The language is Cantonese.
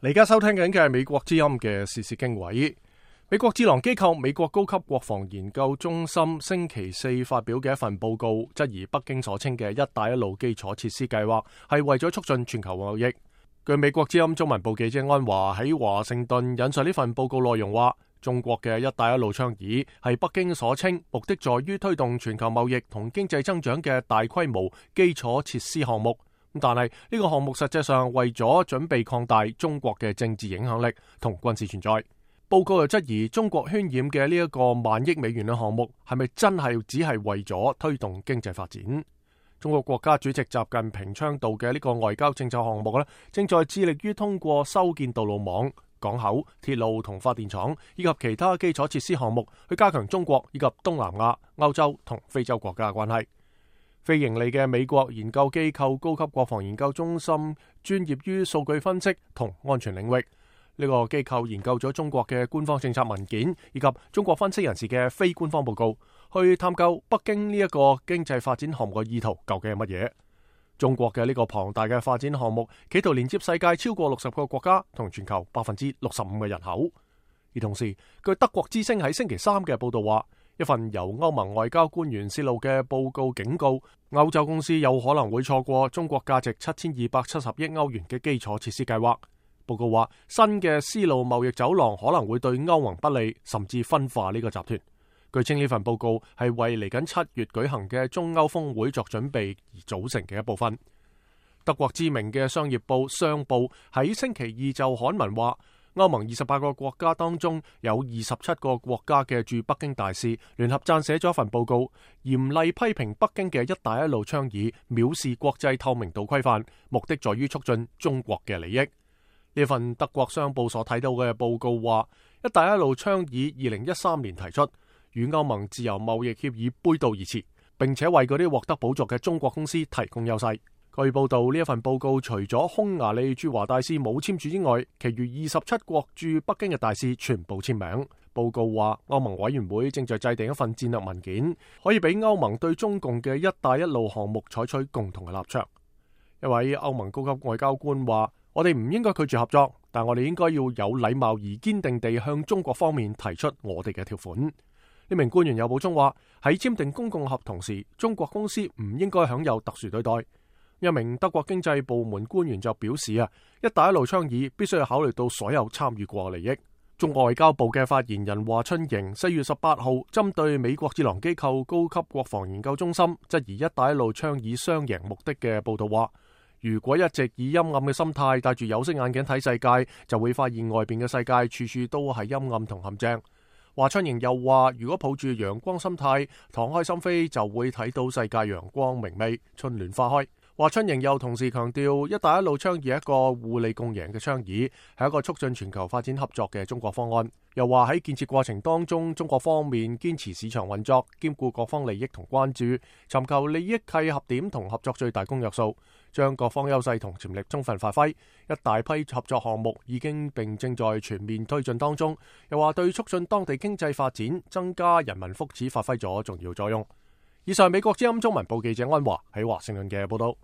你而家收聽緊嘅係美國之音嘅時事經緯。美國智囊機構美國高級國防研究中心星期四發表嘅一份報告，質疑北京所稱嘅一帶一路基礎設施計劃係為咗促進全球貿易。據美國之音中文部記者安華喺華盛頓引述呢份報告內容話，中國嘅一帶一路倡議係北京所稱目的在於推動全球貿易同經濟增長嘅大規模基礎設施項目。但係呢個項目實際上為咗準備擴大中國嘅政治影響力同軍事存在。報告又質疑中國渲染嘅呢一個萬億美元嘅項目係咪真係只係為咗推動經濟發展？中國國家主席習近平倡導嘅呢個外交政策項目正在致力於通過修建道路網、港口、鐵路同發電廠以及其他基礎設施項目，去加強中國以及東南亞、歐洲同非洲國家嘅關係。非盈利嘅美國研究機構高級國防研究中心專業於數據分析同安全領域。呢個機構研究咗中國嘅官方政策文件以及中國分析人士嘅非官方報告，去探究北京呢一個經濟發展項目嘅意圖究竟係乜嘢。中國嘅呢個龐大嘅發展項目企圖連接世界超過60個國家同全球65%嘅人口。而同時，據德國之聲喺星期三嘅報道話，一份由歐盟外交官員泄露嘅報告警告，歐洲公司有可能會錯過中國價值7270億歐元嘅基礎設施計劃。報告話，新嘅絲路貿易走廊可能會對歐盟不利，甚至分化呢個集團。據稱呢份報告係為嚟緊7月舉行嘅中歐峰會作準備而組成嘅一部分。德國知名嘅商業報商報喺星期二就刊文話，歐盟28個國家當中有27個國家嘅駐北京大使聯合撰寫咗一份報告，嚴厲批評北京嘅一帶一路倡議藐視國際透明度規範，目的在於促進中國嘅利益。呢份德國商報所睇到嘅報告話，一帶一路倡議2013年提出，與歐盟自由貿易協議背道而馳，並且為嗰啲獲得補助嘅中國公司提供優勢。據報道，呢一份報告除咗匈牙利駐華大使冇簽署之外，其餘27國駐北京嘅大使全部簽名。報告話，歐盟委員會正在制定一份戰略文件，可以俾歐盟對中共嘅一帶一路項目採取共同嘅立場。一位歐盟高級外交官話，我哋唔應該拒絕合作，但我哋應該要有禮貌而堅定地向中國方面提出我哋嘅條款。呢名官員又補充話，喺簽訂公共合同時，中國公司唔應該享有特殊對待。一名德國經濟部門官員就表示一帶一路倡議必須要考慮到所有參與過嘅利益。中國外交部嘅發言人華春瑩4月18號針對美國智囊機構高級國防研究中心質疑一帶一路倡議雙贏目的嘅報道話，如果一直以陰暗嘅心態戴住有色眼鏡睇世界，就會發現外邊嘅世界處處都係陰暗同陷阱。華春瑩又話，如果抱住陽光心態敞開心扉，就會睇到世界陽光明媚，春暖花開。華春瑩又同時強調，一帶一路倡議係一個互利共贏嘅倡議，係一個促進全球發展合作嘅中國方案。又話喺建設過程當中，中國方面堅持市場運作，兼顧各方利益同關注，尋求利益契合點同合作最大公約數，將各方優勢同潛力充分發揮。一大批合作項目已經並正在全面推進當中。又話對促進當地經濟發展、增加人民福祉發揮咗重要作用。以上美國之音中文部記者安華喺華盛頓嘅報道。